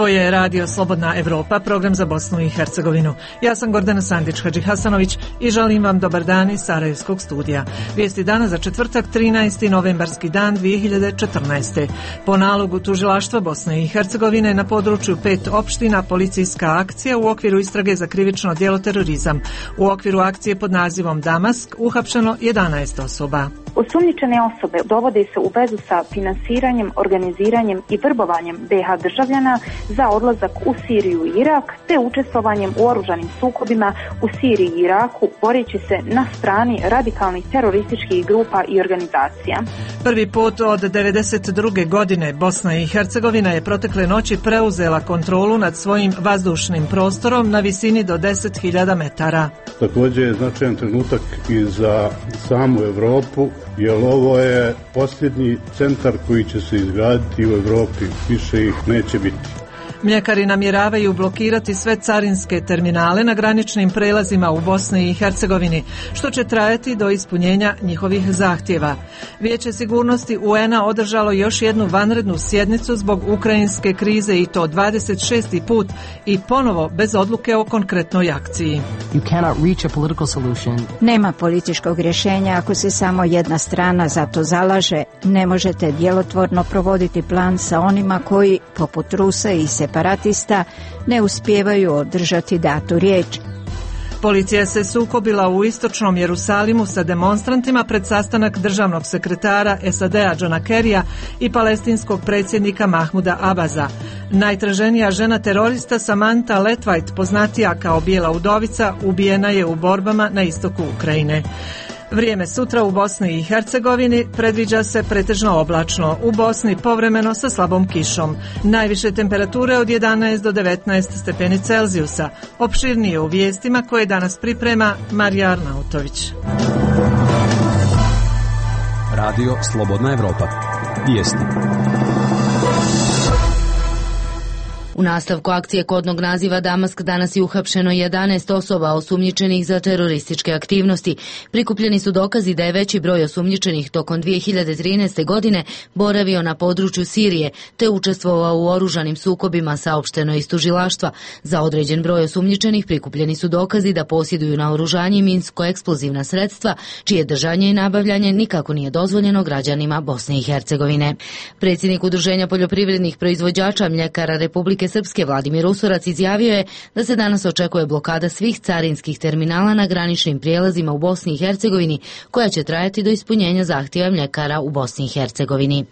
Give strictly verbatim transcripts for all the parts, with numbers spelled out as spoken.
Ovo je Radio Slobodna Evropa, program za Bosnu i Hercegovinu. Ja sam Gordana Sandić-Hadžihasanović i želim vam dobar dan iz Sarajevskog studija. Vijesti dana za četvrtak, trinaesti novembarski dan dvije hiljade četrnaeste. Po nalogu Tužilaštva Bosne i Hercegovine na području pet opština policijska akcija u okviru istrage za krivično djelo terorizam. U okviru akcije pod nazivom Damask uhapšeno jedanaest osoba. Osumnjičene osobe dovode se u vezu sa finansiranjem, organiziranjem i vrbovanjem be ha državljana za odlazak u Siriju i Irak, te učestvovanjem u oružanim sukobima u Siriji i Iraku, boreći se na strani radikalnih terorističkih grupa i organizacija. Prvi put od devedeset druge godine Bosna i Hercegovina je protekle noći preuzela kontrolu nad svojim vazdušnim prostorom na visini do deset hiljada metara. Također je značajan trenutak i za samu Europu, jer ovo je posljednji centar koji će se izgraditi u Europi, više ih neće biti. Mljekari namjeravaju blokirati sve carinske terminale na graničnim prelazima u Bosni i Hercegovini, što će trajati do ispunjenja njihovih zahtjeva. Vijeće sigurnosti u en a održalo još jednu vanrednu sjednicu zbog ukrajinske krize i to dvadeset šesti put i ponovo bez odluke o konkretnoj akciji. Nema političkog rješenja ako se samo jedna strana za to zalaže. Ne možete djelotvorno provoditi plan sa onima koji, poput Rusa i separatista, ne uspijevaju održati datu riječ. Policija se sukobila u istočnom Jerusalimu sa demonstrantima pred sastanak državnog sekretara es a de a Johna Kerrya i palestinskog predsjednika Mahmuda Abaza. Najtraženija žena terorista Samantha Letvite, poznatija kao Bijela udovica, ubijena je u borbama na istoku Ukrajine. Vrijeme sutra u Bosni i Hercegovini predviđa se pretežno oblačno, u Bosni povremeno sa slabom kišom. Najviše temperature od jedanaest do devetnaest stepeni Celzijusa. Opširnije u vijestima koje danas priprema Marija Arnautović. Radio Slobodna Evropa. Vijesti. U nastavku akcije kodnog naziva Damask danas je uhapšeno jedanaest osoba osumnjičenih za terorističke aktivnosti. Prikupljeni su dokazi da je veći broj osumnjičenih tokom dvije hiljade trinaeste. godine boravio na području Sirije te učestvovao u oružanim sukobima, saopšteno iz tužilaštva. Za određen broj osumnjičenih prikupljeni su dokazi da posjeduju naoružanje i minsko-eksplozivna sredstva, čije držanje i nabavljanje nikako nije dozvoljeno građanima Bosne i Hercegovine. Predsjednik Udruženja poljoprivrednih proizvođača mljekara Republike Srpske Vladimir Usorac izjavio je da se danas očekuje blokada svih carinskih terminala na graničnim prijelazima u Bosni i Hercegovini, koja će trajati do ispunjenja zahtjeva mljekara u Bosni i Hercegovini.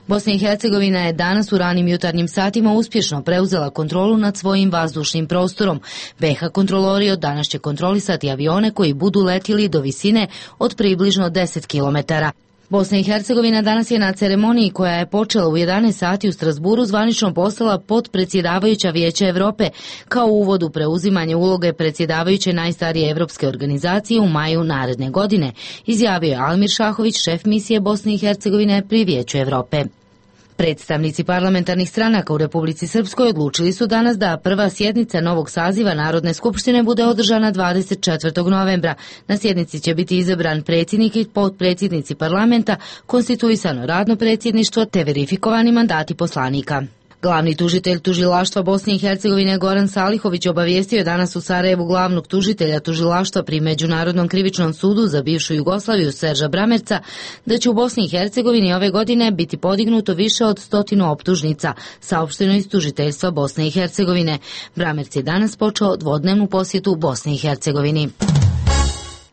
Bosna i Hercegovina je danas u ranim jutarnjim satima uspješno preuzela kontrolu nad svojim vazdušnim prostorom. be ha kontrolori od danas će kontrolisati avione koji budu letjeli do visine od približno deset kilometara. Bosna i Hercegovina danas je na ceremoniji koja je počela u jedanaest sati u Strasburu zvanično postala potpredsjedavajuća Vijeća Europe kao uvod u preuzimanje uloge predsjedavajuće najstarije evropske organizacije u maju naredne godine, izjavio je Almir Šahović, šef misije Bosne i Hercegovine pri Vijeću Europe. Predstavnici parlamentarnih stranaka u Republici Srpskoj odlučili su danas da prva sjednica novog saziva Narodne skupštine bude održana dvadeset četvrtog novembra. Na sjednici će biti izabran predsjednik i potpredsjednici parlamenta, konstituisano radno predsjedništvo te verifikovani mandati poslanika. Glavni tužitelj tužilaštva Bosne i Hercegovine Goran Salihović obavijestio je danas u Sarajevu glavnog tužitelja tužilaštva pri Međunarodnom krivičnom sudu za bivšu Jugoslaviju Serža Bramerca da će u Bosni i Hercegovini ove godine biti podignuto više od stotinu optužnica, saopšteno iz tužiteljstva Bosne i Hercegovine. Bramerc je danas počeo dvodnevnu posjetu Bosni i Hercegovini.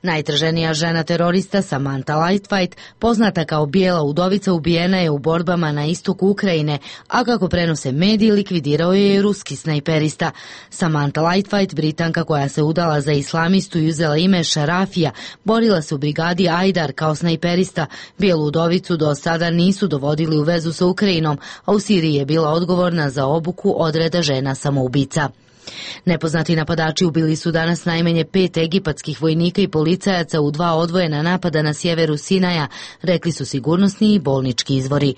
Najtraženija žena terorista Samantha Letvite, poznata kao Bijela udovica, ubijena je u borbama na istoku Ukrajine, a kako prenose mediji, likvidirao je i ruski snajperista. Samantha Letvite, Britanka koja se udala za islamistu i uzela ime Šarafija, borila se u brigadi Ajdar kao snajperista. Bijelu udovicu do sada nisu dovodili u vezu sa Ukrajinom, a u Siriji je bila odgovorna za obuku odreda žena samoubica. Nepoznati napadači ubili su danas najmanje pet egipatskih vojnika i policajaca u dva odvojena napada na sjeveru Sinaja, rekli su sigurnosni i bolnički izvori.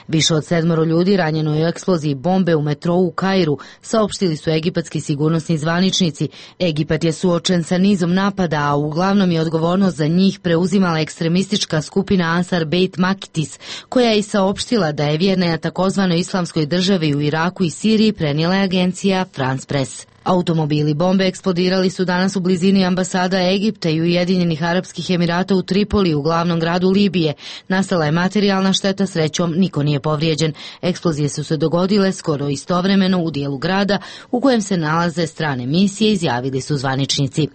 Više od sedmoro ljudi ranjeno je u eksploziji bombe u metrou u Kairu, saopštili su egipatski sigurnosni zvaničnici. Egipat je suočen sa nizom napada, a uglavnom je odgovornost za njih preuzimala ekstremistička skupina Ansar Beit Makitis, koja je i saopštila da je vjerna na takozvanoj islamskoj državi u Iraku i Siriji, prenijela je agencija France Press. Automobili bombe eksplodirali su danas u blizini ambasada Egipta i Ujedinjenih Arapskih Emirata u Tripoli, u glavnom gradu Libije. Nastala je materijalna šteta, srećom niko nije povrijeđen. Eksplozije su se dogodile skoro istovremeno u dijelu grada u kojem se nalaze strane misije, izjavili su zvaničnici.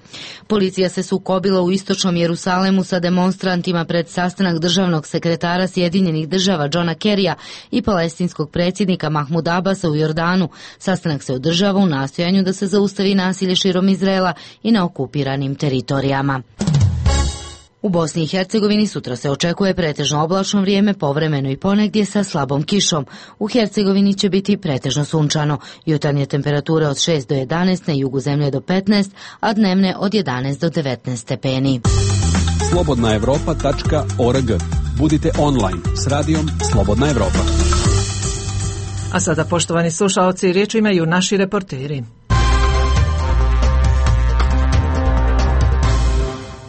Policija se sukobila u istočnom Jerusalemu sa demonstrantima pred sastanak državnog sekretara Sjedinjenih država Johna Kerrya i palestinskog predsjednika Mahmuda Abasa u Jordanu. Sastanak se održava u nastojanju da se zaustavi nasilje širom Izraela i na okupiranim teritorijama. U Bosni i Hercegovini sutra se očekuje pretežno oblačno vrijeme, povremeno i ponegdje sa slabom kišom. U Hercegovini će biti pretežno sunčano. Jutarnje temperature od šest do jedanaest, na jugu zemlje do petnaest, a dnevne od jedanaest do devetnaest stepeni. slobodna evropa tačka org. Budite online s radijom Slobodna Evropa. A sada, poštovani slušaoci, riječ imaju naši reporteri.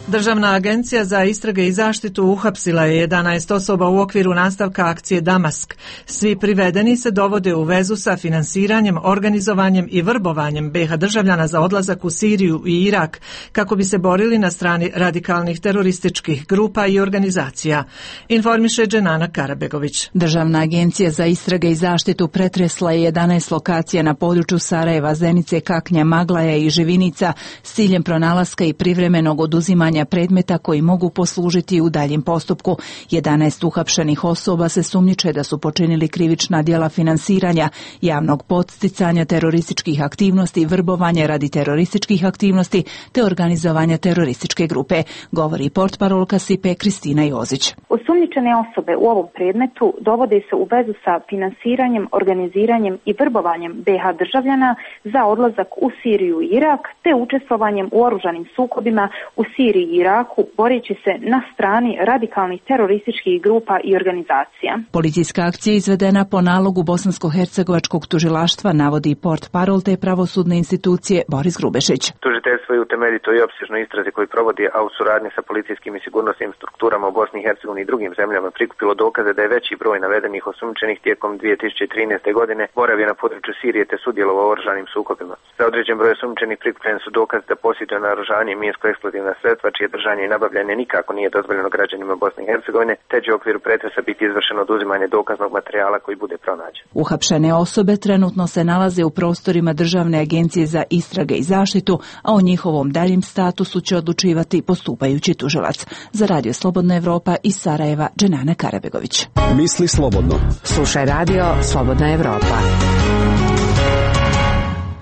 Državna agencija za istrage i zaštitu uhapsila je jedanaest osoba u okviru nastavka akcije Damask. Svi privedeni se dovode u vezu sa finansiranjem, organizovanjem i vrbovanjem be ha državljana za odlazak u Siriju i Irak kako bi se borili na strani radikalnih terorističkih grupa i organizacija. Informiše Dženana Karabegović. Državna agencija za istrage i zaštitu pretresla je jedanaest lokacija na području Sarajeva, Zenice, Kaknja, Maglaja i Živinica s ciljem pronalaska i privremenog oduzimanja predmeta koji mogu poslužiti u daljem postupku. jedanaest uhapšenih osoba se sumnjiče da su počinili krivična djela finansiranja, javnog podsticanja terorističkih aktivnosti, vrbovanja radi terorističkih aktivnosti te organizovanja terorističke grupe, govori portparolka S I P E Kristina Jozić. Osumnjičene osobe u ovom predmetu dovode se u vezu sa finansiranjem, organiziranjem i vrbovanjem be ha državljana za odlazak u Siriju i Irak te učestvovanjem u oružanim sukobima u Siriji i Iraku, boreći se na strani radikalnih terorističkih grupa i organizacija. Policijska akcija izvedena po nalogu bosansko-hercegovačkog tužilaštva, navodi portparol te pravosudne institucije Boris Grubešić. Tužiteljstvo je u temeljitoj i opsežnoj istrazi koju provodi, a u suradnji sa policijskim i sigurnosnim strukturama u Bosni i Hercegovini i drugim zemljama prikupilo dokaze da je veći broj navedenih osumnjičenih tijekom dvije tisuće trinaeste. godine boravio na području Sirije te sudjelovao u oružanim sukobima. Za određen broj osumnjičenih prikupljeni su dokazi da posjeduje naoružanje i minsko-eksplozivna sredstva čije držanje i nabavljanje nikako nije dozvoljeno građanima Bosne i Hercegovine, te će u okviru pretresa biti izvršeno oduzimanje dokaznog materijala koji bude pronađen. Uhapšene osobe trenutno se nalaze u prostorima Državne agencije za istrage i zaštitu, a o njihovom daljem statusu će odlučivati postupajući tužilac. Za Radio Slobodna Evropa iz Sarajeva, Dženana Karabegović. Misli slobodno. Slušaj Radio Slobodna Evropa.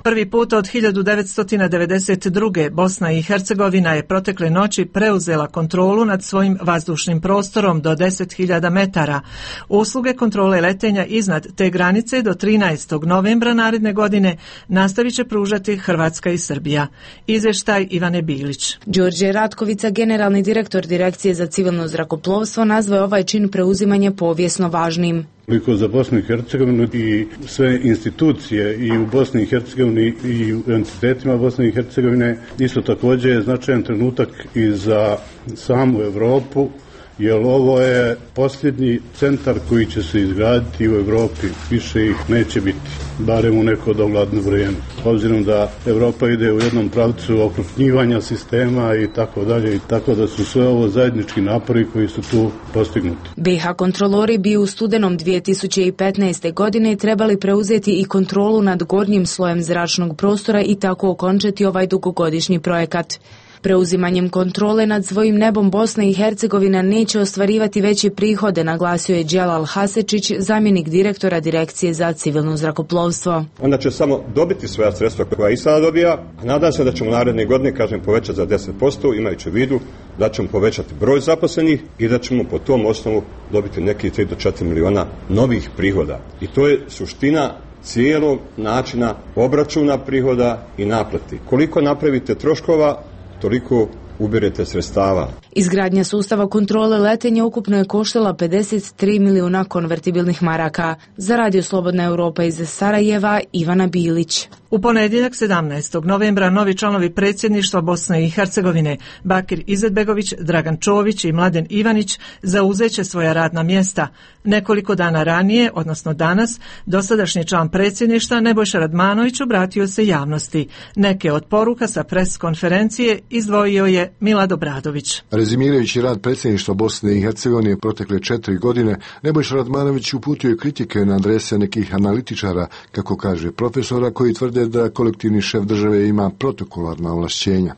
Prvi put od hiljadu devetsto devedeset druge. Bosna i Hercegovina je protekle noći preuzela kontrolu nad svojim vazdušnim prostorom do deset hiljada metara. Usluge kontrole letenja iznad te granice do trinaestog novembra naredne godine nastavit će pružati Hrvatska i Srbija. Izvještaj Ivane Bilić. Đorđe Ratkovica, generalni direktor Direkcije za civilno zrakoplovstvo, nazvao je ovaj čin preuzimanja povijesno važnim. Koliko za Bosnu i Hercegovinu i sve institucije i u Bosni i Hercegovini i u entitetima Bosne i Hercegovine, isto također je značajan trenutak i za samu Europu, jer ovo je posljednji centar koji će se izgraditi u Europi. Više ih neće biti, barem u neko dogledno vrijeme. Obzirom da Europa ide u jednom pravcu okrupnjivanja sistema i tako dalje, i tako da su sve ovo zajednički napori koji su tu postignuti. be ha kontrolori bi u studenom dvije tisuće petnaeste. godine trebali preuzeti i kontrolu nad gornjim slojem zračnog prostora i tako okončati ovaj dugogodišnji projekat. Preuzimanjem kontrole nad svojim nebom Bosna i Hercegovina neće ostvarivati veće prihode, naglasio je Dželal Hasečić, zamjenik direktora Direkcije za civilno zrakoplovstvo. Onda će samo dobiti svoja sredstva koja i sada dobija, a nadam se da ćemo naredne godine, kažem, povećati za deset posto, imajući u vidu da ćemo povećati broj zaposlenih i da ćemo po tom osnovu dobiti neki tri do četiri miliona novih prihoda. I to je suština cijelog načina obračuna prihoda i naplati. Koliko napravite troškova, toliko ubirete sredstava. Izgradnja sustava kontrole letenja ukupno je koštala pedeset tri milijuna konvertibilnih maraka. Za Radio Slobodna Europa iz Sarajeva, Ivana Bilić. U ponedjeljak sedamnaestog novembra novi članovi predsjedništva Bosne i Hercegovine Bakir Izetbegović, Dragan Čović i Mladen Ivanić zauzeće svoja radna mjesta. Nekoliko dana ranije, odnosno danas, dosadašnji član predsjedništva Nebojša Radmanović obratio se javnosti. Neke od poruka sa pres konferencije izdvojio je Milad Obradović. Rezimirajući rad predsjedništva Bosne i Hercegovine protekle četiri godine, Nebojša Radmanović uputio je kritike na adrese nekih analitičara, kako kaže profesora, koji tvrde da kolektivni šef države ima protokolarna ovlašćenja.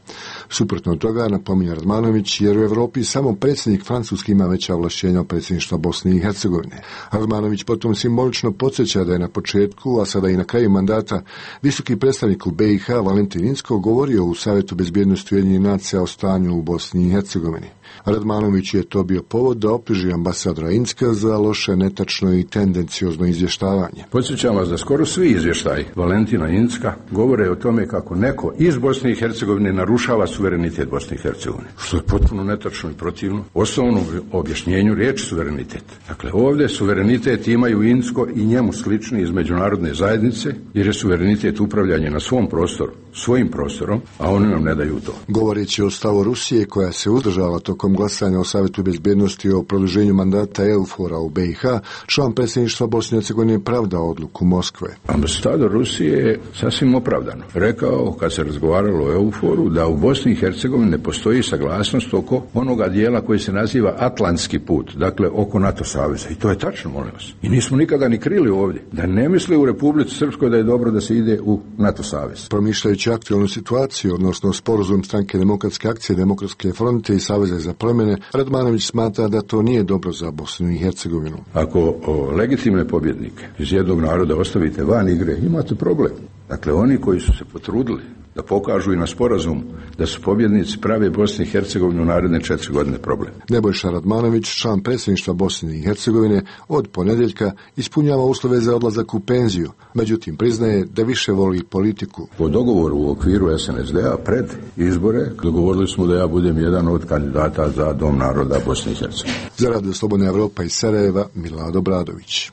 Suprotno toga, napominje Radmanović, jer u Europi samo predsjednik Francuski ima veća ovlašćenja od predsjedništva Bosne i Hercegovine. Radmanović potom simbolično podsjeća da je na početku, a sada i na kraju mandata, visoki predstavnik u B i H Valentin Inzko govorio u Savjetu bezbjednosti Ujedinjenih nacija o stanju u Bosni i Hercegovini. Radmanović je to bio povod da optuži ambasadora Inzka za loše, netačno i tendenciozno izvještavanje. Podsjećam vas da skoro svi izvještaji Valentina Inzka govore o tome kako neko iz Bosne i Hercegovine narušava suverenitet Bosne i Hercegovine, što je potpuno netačno i protivno osnovnom objašnjenju riječi suverenitet. Dakle, ovdje suverenitet imaju Inzko i njemu slični iz međunarodne zajednice, jer je suverenitet upravljanje na svom prostoru, svojim prostorom, a oni nam ne daju to. Govoreći o stavu Rusije, koja se uzdržala tokom glasanja o Savjetu bezbjednosti o produženju mandata EUFOR-a u B i H, član predsjedništva Bosne i Hercegovine pravdao odluku Moskve. Ambasador Rusije je sasvim opravdano rekao, kad se razgovaralo o EUFOR-u, da u Bosni i Hercegovini ne postoji saglasnost oko onoga dijela koji se naziva Atlantski put, dakle oko NATO saveza. I to je tačno, molim vas. I nismo nikada ni krili ovdje da ne misli u Republici Srpskoj da je dobro da se ide u NATO savez. Promišljajući aktualnu situaciju, odnosno sporazum Stranke demokratske akcije, Demokratske fronte i Saveza za promjene, Radmanović smatra da to nije dobro za Bosnu i Hercegovinu. Ako o, legitimne pobjednike iz jednog naroda ostavite van igre, imate problem. Dakle, oni koji su se potrudili da pokažu i na sporazum da su pobjednici, prave Bosne i Hercegovine u naredne četiri godine problem. Nebojša Radmanović, član predsjedništva Bosne i Hercegovine, od ponedjeljka ispunjava uslove za odlazak u penziju, međutim priznaje da više voli politiku. Po dogovoru u okviru S N S D-a pred izbore dogovorili smo da ja budem jedan od kandidata za Dom naroda Bosne i Hercegovine. Za Radio Slobodna Evropa iz Sarajeva, Milad Obradović.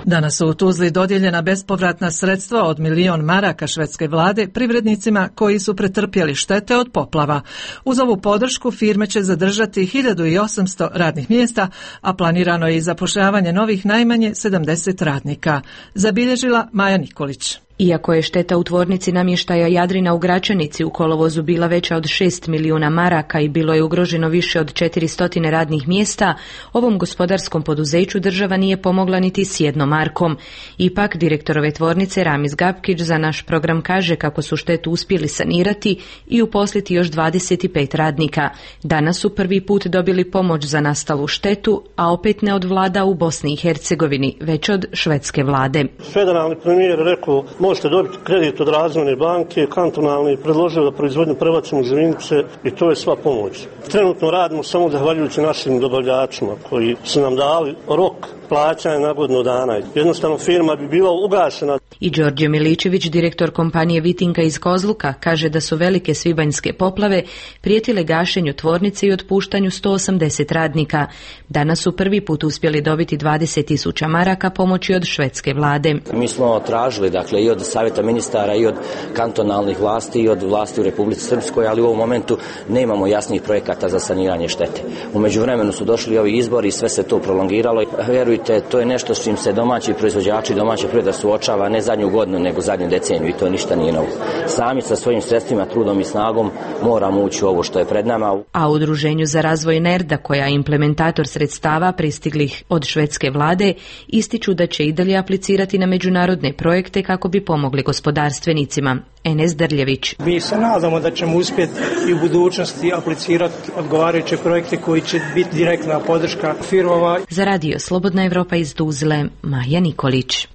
Danas su u Tuzli dodijeljena bespovratna sredstva od milion maraka švedske vlade privrednicima koji su pretrpjeli štete od poplava. Uz ovu podršku firme će zadržati hiljadu osamsto radnih mjesta, a planirano je i zapošljavanje novih najmanje sedamdeset radnika. Zabilježila Maja Nikolić. Iako je šteta u tvornici namještaja Jadrina u Gračanici u kolovozu bila veća od šest milijuna maraka i bilo je ugroženo više od četiristo radnih mjesta, ovom gospodarskom poduzeću država nije pomogla niti s jednom markom. Ipak, direktor ove tvornice Ramiz Gapkić za naš program kaže kako su štetu uspjeli sanirati i uposliti još dvadeset pet radnika. Danas su prvi put dobili pomoć za nastalu štetu, a opet ne od vlada u Bosni i Hercegovini, već od švedske vlade. Federalni premijer rekao možete dobiti kredit od razvojne banke, kantonalni predložio da proizvodnju prebacimo iz Vinice i to je sva pomoć. Trenutno radimo samo zahvaljujući našim dobavljačima koji su nam dali rok plaćanja na godinu dana. Jednostavno firma bi bila ugašena. I Đorđe Miličević, direktor kompanije Vitinka iz Kozluka, kaže da su velike svibanjske poplave prijetile gašenju tvornice i otpuštanju sto osamdeset radnika. Danas su prvi put uspjeli dobiti dvadeset tisuća maraka pomoći od švedske vlade. Mi smo tražili, dakle, i od savjeta ministara i od kantonalnih vlasti i od vlasti u Republici Srpskoj, ali u ovom momentu nemamo jasnih projekata za saniranje štete. U međuvremenu su došli ovi izbori i sve se to prolongiralo. Vjerujte, to je nešto s čim se domaći proizvođači, domaća privreda suočava ne zadnju godinu, nego zadnju deceniju i to ništa nije novo. Sami sa svojim sredstvima, trudom i snagom moramo ući u ovo što je pred nama. A u Udruženju za razvoj NERDA, koja je implementator sredstava pristiglih od švedske vlade, ističu da će i dalje aplicirati na međunarodne projekte kako bi pomogli gospodarstvenicima. Enes Drljević. Mi se nadamo da ćemo uspjeti i u budućnosti aplicirati odgovarajuće projekte koji će biti direktna podrška firmama. Za Radio Slobodna Evropa iz Tuzle, Maja Nikolić.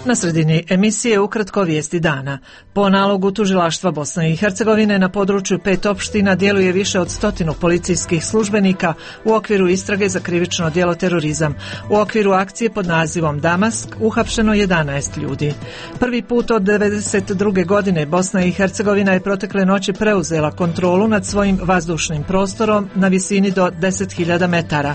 Na sredini emisije ukratko vijesti dana. Po nalogu tužilaštva Bosne i Hercegovine na području pet opština djeluje više od stotinu policijskih službenika u okviru istrage za krivično djelo terorizam. U okviru akcije pod nazivom Damask uhapšeno jedanaest ljudi. Prvi put od devedeset druge godine Bosna i Hercegovina je protekle noći preuzela kontrolu nad svojim vazdušnim prostorom na visini do deset hiljada metara.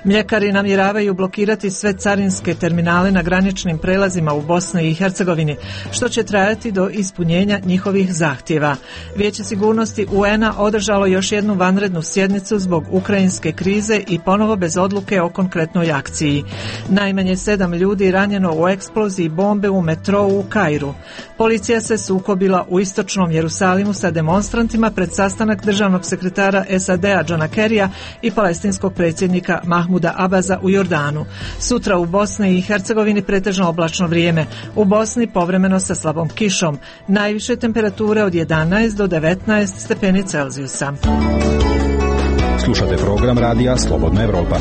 Mljekari namjeravaju blokirati sve carinske terminale na graničnim prelazima u Bosni i Hercegovini, što će trajati do ispunjenja njihovih zahtjeva. Vijeće sigurnosti U N-a održalo još jednu vanrednu sjednicu zbog ukrajinske krize i ponovo bez odluke o konkretnoj akciji. Najmanje sedam ljudi ranjeno u eksploziji bombe u metrou u Kairu. Policija se sukobila u istočnom Jerusalimu sa demonstrantima pred sastanak državnog sekretara S A D-a Johna Kerrya i palestinskog predsjednika Mahmuda Abaza u Jordanu. Sutra u Bosni i Hercegovini pretežno oblačno vrijeme. U Bosni povremeno sa slabom kišom. Najviše temperature od jedanaest do devetnaest stepeni Celzijusa. Slušate program radija Slobodna Evropa.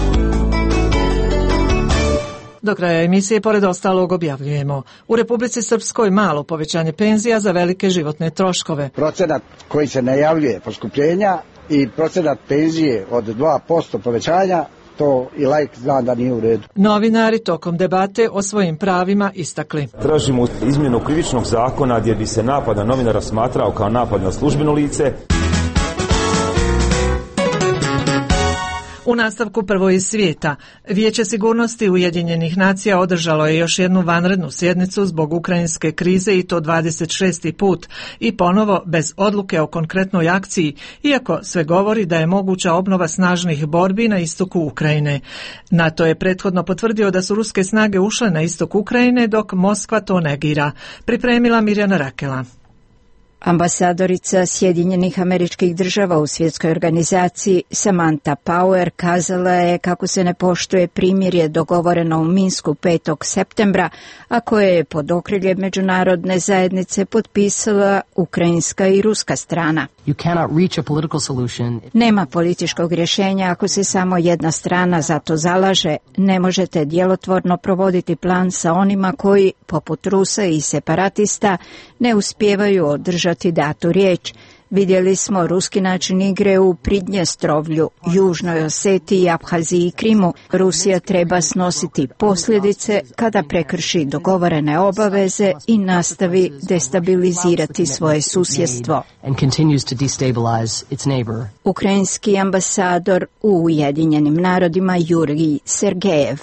Do kraja emisije, pored ostalog, objavljujemo: u Republici Srpskoj malo povećanje penzija za velike životne troškove. Procenat koji se najavljuje poskupljenja i procenat penzije od dva posto povećanja, to i laik zna da nije u redu. Novinari tokom debate o svojim pravima istakli: tražimo izmjenu krivičnog zakona gdje bi se napad na novinara smatrao kao napad na službeno lice. U nastavku prvo iz svijeta. Vijeće sigurnosti Ujedinjenih nacija održalo je još jednu vanrednu sjednicu zbog ukrajinske krize i to dvadeset šesti put i ponovo bez odluke o konkretnoj akciji, iako sve govori da je moguća obnova snažnih borbi na istoku Ukrajine. NATO je prethodno potvrdio da su ruske snage ušle na istok Ukrajine, dok Moskva to negira. Pripremila Mirjana Rakela. Ambasadorica Sjedinjenih Američkih Država u svjetskoj organizaciji Samantha Power kazala je kako se ne poštuje primirje dogovoreno u Minsku petog septembra, a koje je pod okriljem međunarodne zajednice potpisala ukrajinska i ruska strana. You cannot reach a political solution. Nema političkog rješenja ako se samo jedna strana za to zalaže. Ne možete djelotvorno provoditi plan sa onima koji, poput Rusa i separatista, ne uspijevaju održati datu riječ. Vidjeli smo ruski način igre u Pridnjestrovlju, Južnoj Osetiji, Abhaziji i Krimu. Rusija treba snositi posljedice kada prekrši dogovorene obaveze i nastavi destabilizirati svoje susjedstvo. Ukrajinski ambasador u Ujedinjenim narodima Jurij Sergejev.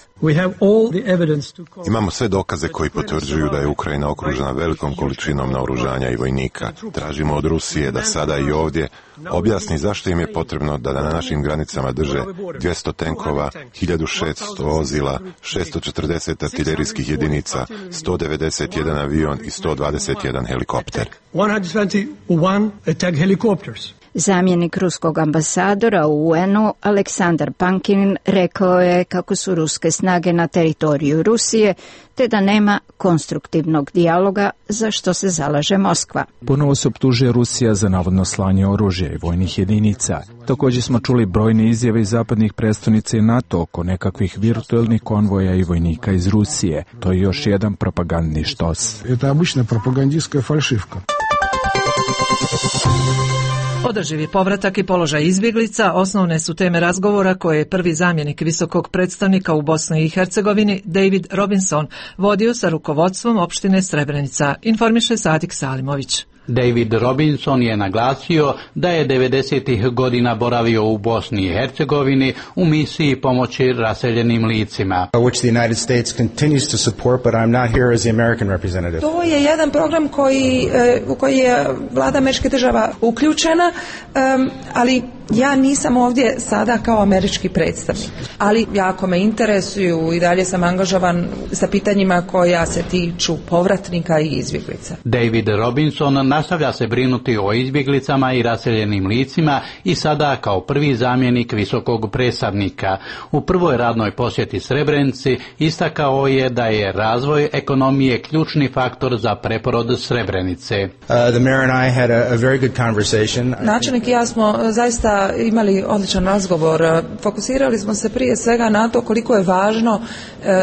Imamo sve dokaze koji potvrđuju da je Ukrajina okružena velikom količinom naoružanja i vojnika. Tražimo od Rusije da sada i ovdje objasni zašto im je potrebno da na našim granicama drže dvjesto tenkova, hiljadu šesto vozila, šesto četrdeset artiljerijskih jedinica, sto devedeset jedan avion i sto dvadeset jedan helikopter. Zamjenik ruskog ambasadora u U N-u Aleksandar Pankin rekao je kako su ruske snage na teritoriju Rusije, te da nema konstruktivnog dijaloga za što se zalaže Moskva. Ponovo se optužuje Rusija za navodno slanje oružja i vojnih jedinica. Također smo čuli brojne izjave iz zapadnih predstavnica i NATO oko nekakvih virtualnih konvoja i vojnika iz Rusije. To je još jedan propagandni štos. Это обычная пропагандистская фальшивка. Održivi povratak i položaj izbjeglica osnovne su teme razgovora koje je prvi zamjenik visokog predstavnika u Bosni i Hercegovini David Robinson vodio sa rukovodstvom opštine Srebrenica, informiše Sadik Salimović. David Robinson je naglasio da je devedesetih godina boravio u Bosni i Hercegovini u misiji pomoći raseljenim licima. To je jedan program koji, u koji je vlada Američke država uključena, ali ja nisam ovdje sada kao američki predstavnik, ali jako me interesuju i dalje sam angažovan sa pitanjima koja se tiču povratnika i izbjeglica. David Robinson nastavlja se brinuti o izbjeglicama i raseljenim licima i sada kao prvi zamjenik visokog predstavnika. U prvoj radnoj posjeti Srebrenici istakao je da je razvoj ekonomije ključni faktor za preporod Srebrenice. Uh, Načelnik i ja smo zaista sada imali odličan razgovor. Fokusirali smo se prije svega na to koliko je važno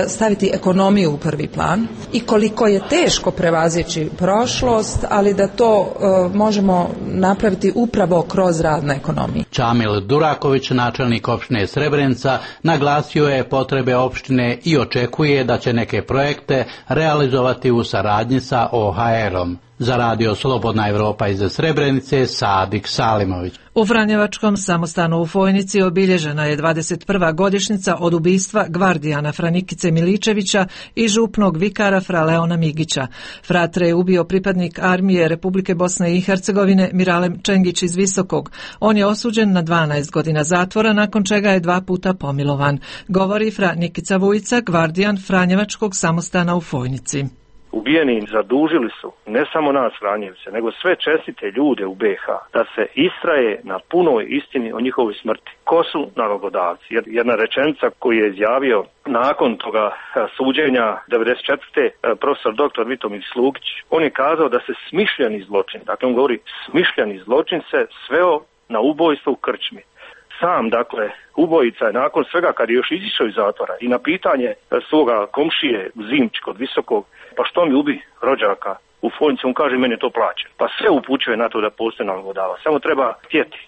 staviti ekonomiju u prvi plan i koliko je teško prevazići prošlost, ali da to možemo napraviti upravo kroz rad na ekonomiji. Čamil Duraković, načelnik opštine Srebrenica, naglasio je potrebe opštine i očekuje da će neke projekte realizovati u saradnji sa O H R-om. Za radio Slobodna Evropa iz Srebrenice, Sadik Salimović. U Franjevačkom samostanu u Fojnici obilježena je dvadeset prva godišnjica od ubistva gvardijana Franikice Miličevića i župnog vikara Fra Leona Migića. Fratre je ubio pripadnik armije Republike Bosne i Hercegovine Miralem Čengić iz Visokog. On je osuđen na dvanaest godina zatvora, nakon čega je dva puta pomilovan. Govori Fra Nikica Vujica, gvardijan Franjevačkog samostana u Fojnici. Ubijeni zadužili su ne samo nas Franjevce, nego sve čestite ljude u B H da se istraje na punoj istini o njihovoj smrti. Ko su nalogodavci? Jedna rečenica koju je izjavio nakon toga suđenja devedeset četvrte profesor doktor Vitomir Slugić, on je kazao da se smišljeni zločin, dakle on govori smišljeni zločin se sveo na ubojstvo u krčmi. Sam, dakle, ubojica je nakon svega kad je još izišao iz zatvora i na pitanje svoga komšije Zimć kod Visokog, pa što mi ubi rođaka u Fojnici, on kaže meni je to plaće. Pa sve upućuje na to da postoji nalogodavac, samo treba htjeti.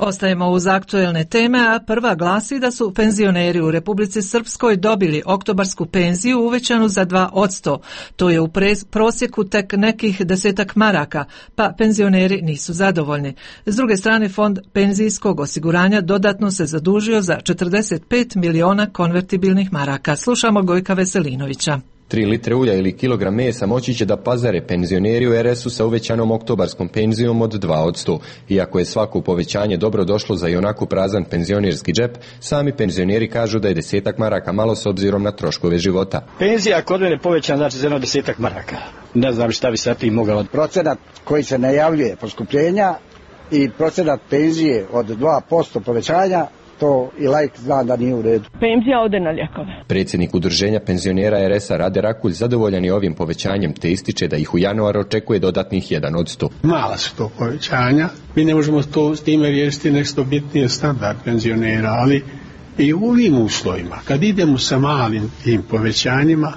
Ostajemo uz aktuelne teme, a prva glasi da su penzioneri u Republici Srpskoj dobili oktobarsku penziju uvećanu za dva posto. To je u prosjeku tek nekih desetak maraka, pa penzioneri nisu zadovoljni. S druge strane, Fond penzijskog osiguranja dodatno se zadužio za četrdeset pet miliona konvertibilnih maraka. Slušamo Gojka Veselinovića. Tri litre ulja ili kilogram mesa moći će da pazare penzioneri u R S-u sa uvećanom oktobarskom penzijom od dva posto. Iako je svako povećanje dobro došlo za ionako prazan penzionerski džep, sami penzioneri kažu da je desetak maraka malo s obzirom na troškove života. Penzija kod mene povećana znači za jedno desetak maraka. Ne znam šta bi sa tim mogao. Procenat koji se najavljuje poskupljenja i procenat penzije od dva posto povećanja, to i laik zna da nije u redu. Penzija ode na lijekove. Predsjednik udruženja penzionera R S-a Rade Rakulj zadovoljan je ovim povećanjem, te ističe da ih u januaru očekuje dodatnih jedan posto. Mala su to povećanja. Mi ne možemo to s time riješiti nešto bitnije standard penzionera, ali i u ovim uslovima, kad idemo sa malim tim povećanjima,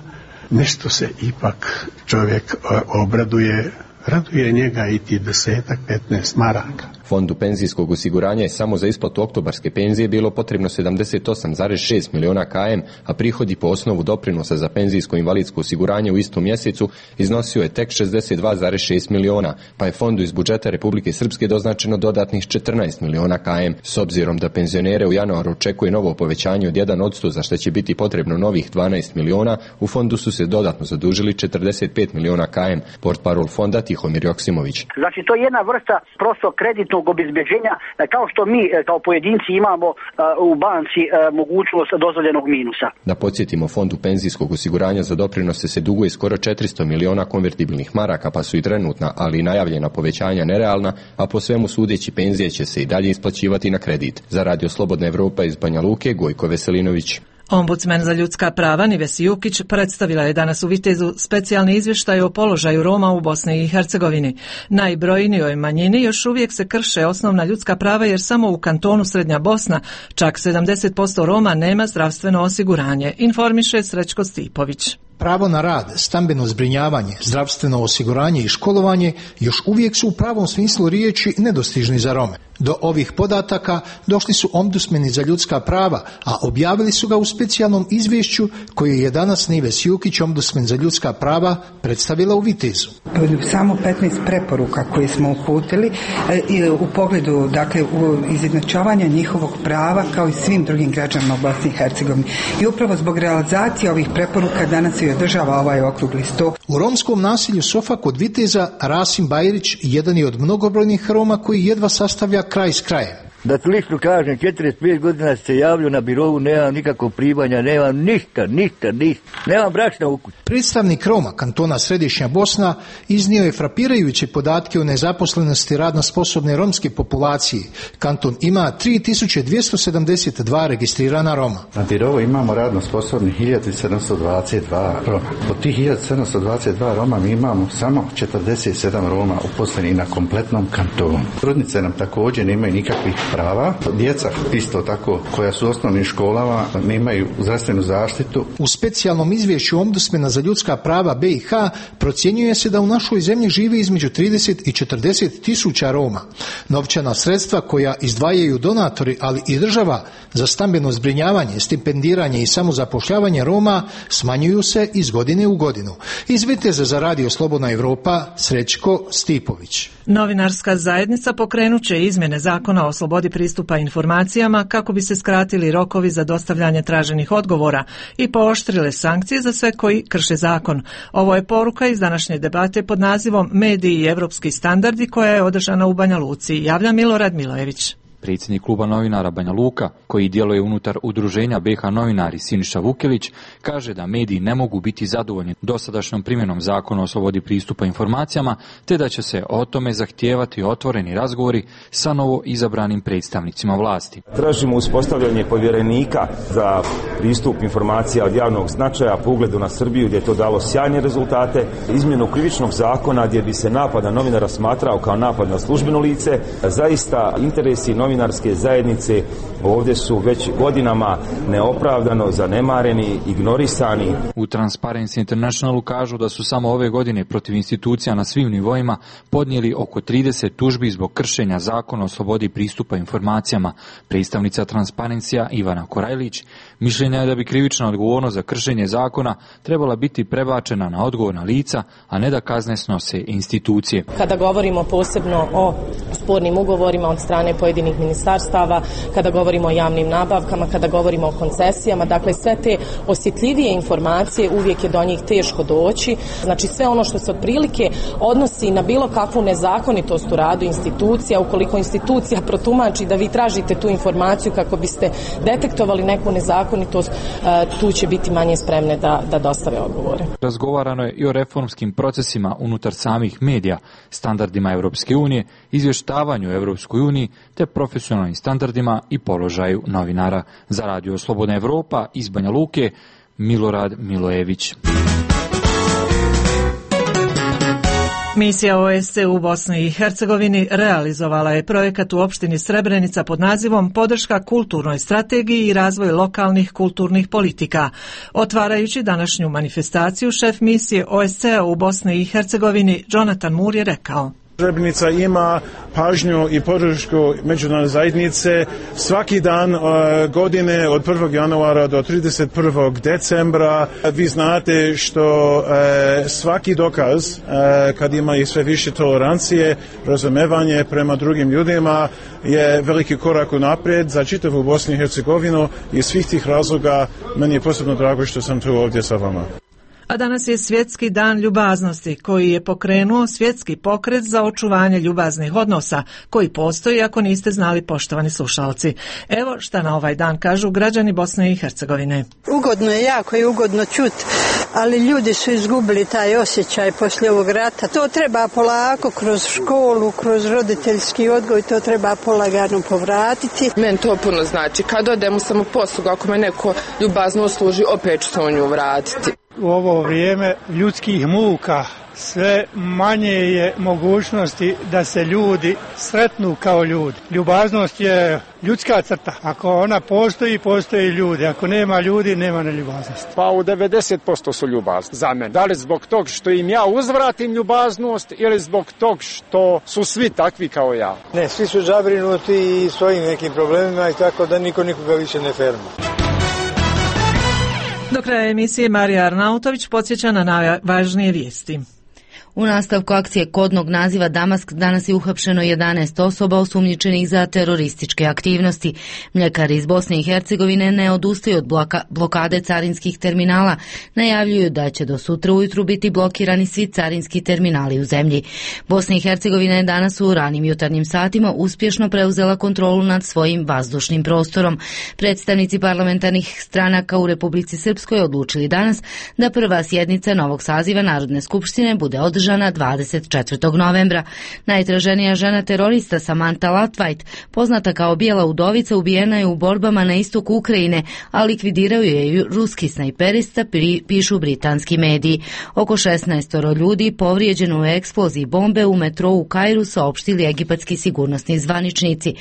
nešto se ipak čovjek obraduje, raduje njega i ti desetak, petnaest maraka. Fondu penzijskog osiguranja je samo za isplatu oktobarske penzije bilo potrebno sedamdeset osam zarez šest miliona km, a prihodi po osnovu doprinosa za penzijsko invalidsko osiguranje u istom mjesecu iznosio je tek šezdeset dva zarez šest miliona, pa je fondu iz budžeta Republike Srpske doznačeno dodatnih četrnaest miliona km. S obzirom da penzionere u januaru očekuje novo povećanje od jedan posto, za što će biti potrebno novih dvanaest miliona, u fondu su se dodatno zadužili četrdeset pet miliona km. Portparol fonda Tihomir Joksimović. Znači to je jedna vrsta prosto kreditnog obezbeđenja, kao što mi kao pojedinci imamo u banci mogućnost dozvoljenog minusa. Da podsjetimo, Fondu penzijskog osiguranja za doprinose se duguje skoro četiristo miliona konvertibilnih maraka, pa su i trenutna, ali i najavljena povećanja nerealna, a po svemu sudeći penzije će se i dalje isplaćivati na kredit. Za radio Slobodna Evropa iz Banja Luke, Gojko Veselinović. Ombudsman za ljudska prava Nives Jukić predstavila je danas u Vitezu specijalni izvještaj o položaju Roma u Bosni i Hercegovini. Najbrojnijoj manjini još uvijek se krše osnovna ljudska prava jer samo u kantonu Srednja Bosna čak sedamdeset posto Roma nema zdravstveno osiguranje, informiše Srećko Stipović. Pravo na rad, stambeno zbrinjavanje, zdravstveno osiguranje i školovanje još uvijek su u pravom smislu riječi nedostižni za Rome. Do ovih podataka došli su ombudsmeni za ljudska prava, a objavili su ga u specijalnom izvješću koje je danas Nives Jukić, ombudsmen za ljudska prava, predstavila u Vitezu. Samo petnaest preporuka koje smo uputili u pogledu dakle, u izjednačavanja njihovog prava kao i svim drugim građanima u Bosni i Hercegovini. I upravo zbog realizacije ovih preporuka danas je održava ovaj okrugli sto. U romskom naselju Sofa kod Viteza Rasim Bajrić jedan je od mnogobrojnih Roma koji jedva sastavlja kraj s krajem. Da slično kažem, četrdeset pet godina se javljaju na birovu, nemam nikakvog primanja, nemam ništa, ništa, ništa, nemam brašna u kući. Predstavnik Roma kantona Središnja Bosna iznio je frapirajuće podatke o nezaposlenosti radno sposobne romske populacije. Kanton ima tri tisuće dvjesto sedamdeset dva registrirana Roma. Na birovu imamo radno sposobnih hiljadu sedamsto dvadeset dva Roma. Od tih hiljadu sedamsto dvadeset dva Roma mi imamo samo četrdeset sedam Roma uposlenih na kompletnom kantonu. Trudnice nam također nemaju nikakvih prava. Djeca isto tako koja su u osnovnim školama nemaju zdravstvenu zaštitu. U specijalnom izvješću Ombudsmana za ljudska prava B i H procjenjuje se da u našoj zemlji živi između trideset i četrdeset tisuća Roma. Novčana sredstva koja izdvajaju donatori, ali i država za stambeno zbrinjavanje, stipendiranje i samozapošljavanje Roma smanjuju se iz godine u godinu. Iz Viteza za Radio Slobodna Evropa, Srećko Stipović. Novinarska zajednica pokrenut će izmjene zakona o slobodi pristupa informacijama kako bi se skratili rokovi za dostavljanje traženih odgovora i pooštrile sankcije za sve koji krše zakon. Ovo je poruka iz današnje debate pod nazivom Mediji i evropski standardi koja je održana u Banja Luci. Javlja Milorad Milojević. Predsjednik kluba novinara Banja Luka, koji djeluje unutar udruženja B H novinari Siniša Vukelić, kaže da mediji ne mogu biti zadovoljni dosadašnjom primjenom zakona o slobodi pristupa informacijama, te da će se o tome zahtijevati otvoreni razgovori sa novo izabranim predstavnicima vlasti. Tražimo uspostavljanje povjerenika za pristup informacija od javnog značaja po ugledu na Srbiju, gdje je to dalo sjajne rezultate, izmjenu krivičnog zakona gdje bi se napad na novinara smatrao kao napad na službeno lice. Zaista interesi novinarske zajednice ovdje su već godinama neopravdano zanemareni, ignorisani. U Transparency Internationalu kažu da su samo ove godine protiv institucija na svim nivoima podnijeli oko trideset tužbi zbog kršenja zakona o slobodi pristupa informacijama. Predstavnica Transparencija Ivana Korajlić mišljenja je da bi krivična odgovornost za kršenje zakona trebala biti prebačena na odgovorna lica, a ne da kazne snose institucije. Kada govorimo posebno o spornim ugovorima od strane pojedinih ministarstava, kada govorimo o javnim nabavkama, kada govorimo o koncesijama, dakle sve te osjetljivije informacije uvijek je do njih teško doći. Znači sve ono što se otprilike odnosi na bilo kakvu nezakonitost u radu institucija, ukoliko institucija protumači da vi tražite tu informaciju kako biste detektovali neku nezakonitost, tu će biti manje spremne da, da dostave odgovore. Razgovarano je i o reformskim procesima unutar samih medija, standardima Europske unije, izvještavanju Europskoj uniji te profesionalnim standardima i položaju novinara. Za Radio Slobodna Evropa iz Banja Luke, Milorad Milojević. Misija O S C E u Bosni i Hercegovini realizovala je projekat u opštini Srebrenica pod nazivom Podrška kulturnoj strategiji i razvoj lokalnih kulturnih politika. Otvarajući današnju manifestaciju, šef misije O S C E u Bosni i Hercegovini Jonathan Moore je rekao: Srebrenica ima pažnju i podršku međunarodne zajednice svaki dan uh, godine od prvog januara do trideset prvog decembra. Vi znate što uh, svaki dokaz uh, kad ima i sve više tolerancije, razumevanje prema drugim ljudima je veliki korak unaprijed za čitavu Bosnu i Hercegovinu i svih tih razloga meni je posebno drago što sam tu ovdje sa vama. A danas je Svjetski dan ljubaznosti koji je pokrenuo svjetski pokret za očuvanje ljubaznih odnosa koji postoji, ako niste znali, poštovani slušalci. Evo šta na ovaj dan kažu građani Bosne i Hercegovine. Ugodno je, jako je ugodno čuti, ali ljudi su izgubili taj osjećaj poslije ovog rata. To treba polako kroz školu, kroz roditeljski odgoj, to treba polagano povratiti. Meni to puno znači. Kad odem u samoposlugu, ako me neko ljubazno usluži, opet ću se u nju vratiti. U ovo vrijeme ljudskih muka sve manje je mogućnosti da se ljudi sretnu kao ljudi. Ljubaznost je ljudska crta. Ako ona postoji, postoji ljudi. Ako nema ljudi, nema neljubaznosti. Pa u devedeset posto su ljubazni za mene. Da li zbog tog što im ja uzvratim ljubaznost ili zbog tog što su svi takvi kao ja? Ne, svi su zabrinuti i svojim nekim problemima i tako da niko nikoga više ne ferma. Do kraja emisije Marija Arnautović podsjeća na najvažnije vijesti. U nastavku akcije kodnog naziva Damask danas je uhapšeno jedanaest osoba osumnjičenih za terorističke aktivnosti. Mljekari iz Bosne i Hercegovine ne odustaju od bloka, blokade carinskih terminala. Najavljuju da će do sutra ujutru biti blokirani svi carinski terminali u zemlji. Bosna i Hercegovina je danas u ranim jutarnjim satima uspješno preuzela kontrolu nad svojim vazdušnim prostorom. Predstavnici parlamentarnih stranaka u Republici Srpskoj odlučili danas da prva sjednica novog saziva Narodne skupštine bude održana dvadeset četvrtog novembra. Najtraženija žena terorista Samantha Latvajt, poznata kao Bijela udovica, ubijena je u borbama na istoku Ukrajine, a likvidirao je ruski snajperista, pišu britanski mediji. Oko šesnaest ljudi povrijeđeno u eksploziji bombe u metrou u Kairu, saopštili egipatski sigurnosni zvaničnici.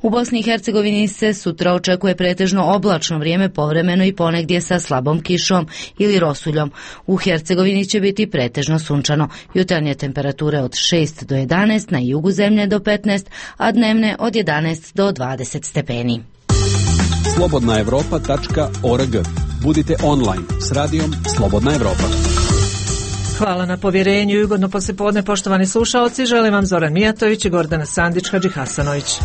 U Bosni i Hercegovini se sutra očekuje pretežno oblačno vrijeme, povremeno i ponegdje sa slabom kišom ili rosuljom. U Hercegovini će biti pretežno sunčano. Jutarnje temperature od šest do jedanaest, na jugu zemlje do petnaest, a dnevne od jedanaest do dvadeset stepeni. slobodna evropa tačka org. Budite online s radijom Slobodna Evropa. Hvala na povjerenju i ugodno poslijepodne, poštovani slušalci. Želim vam Zoran Mijatović i Gordana Sandić Hadži Hasanović.